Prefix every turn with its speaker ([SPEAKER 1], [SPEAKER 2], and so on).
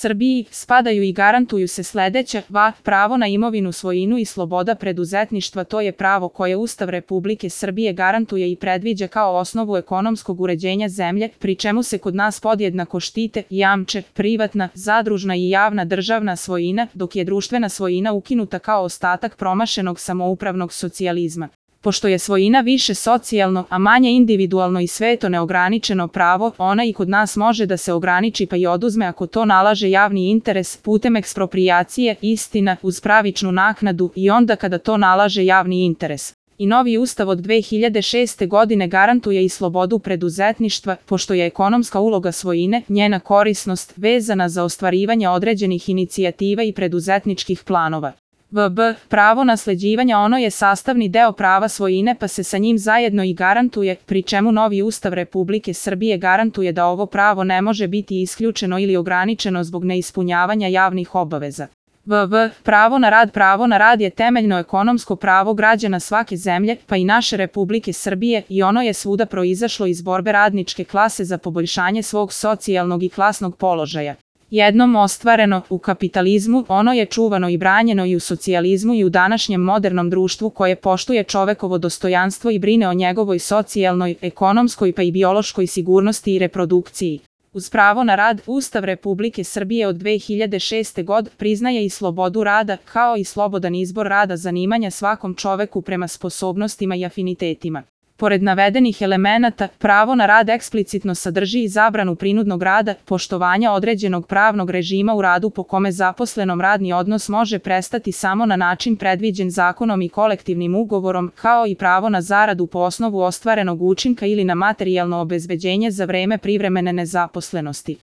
[SPEAKER 1] Srbiji spadaju i garantuju se sledeća: pravo na imovinu, svojinu i sloboda preduzetništva. To je pravo koje Ustav Republike Srbije garantuje i predviđa kao osnovu ekonomskog uređenja zemlje, pri čemu se kod nas podjednako štite i jamče privatna, zadružna i javna državna svojina, dok je društvena svojina ukinuta kao ostatak promašenog samoupravnog socijalizma. Pošto je svojina više socijalno, a manje individualno i sveto neograničeno pravo, ona i kod nas može da se ograniči pa i oduzme ako to nalaže javni interes putem eksproprijacije, istina, uz pravičnu naknadu i onda kada to nalaže javni interes. I novi ustav od 2006. godine garantuje i slobodu preduzetništva, pošto je ekonomska uloga svojine, njena korisnost, vezana za ostvarivanje određenih inicijativa i preduzetničkih planova. Pravo nasleđivanja ono je sastavni deo prava svojine pa se sa njim zajedno i garantuje, pri čemu novi Ustav Republike Srbije garantuje da ovo pravo ne može biti isključeno ili ograničeno zbog neispunjavanja javnih obaveza. Pravo na rad. Pravo na rad je temeljno ekonomsko pravo građana svake zemlje, pa i naše Republike Srbije, i ono je svuda proizašlo iz borbe radničke klase za poboljšanje svog socijalnog i klasnog položaja. Jednom ostvareno u kapitalizmu, ono je čuvano i branjeno i u socijalizmu i u današnjem modernom društvu koje poštuje čovekovo dostojanstvo i brine o njegovoj socijalnoj, ekonomskoj pa i biološkoj sigurnosti i reprodukciji. Uz pravo na rad, Ustav Republike Srbije od 2006. godine priznaje i slobodu rada, kao i slobodan izbor rada zanimanja svakom čoveku prema sposobnostima i afinitetima. Pored navedenih elemenata, pravo na rad eksplicitno sadrži i zabranu prinudnog rada, poštovanja određenog pravnog režima u radu po kome zaposlenom radni odnos može prestati samo na način predviđen zakonom i kolektivnim ugovorom, kao i pravo na zaradu po osnovu ostvarenog učinka ili na materijalno obezbeđenje za vreme privremene nezaposlenosti.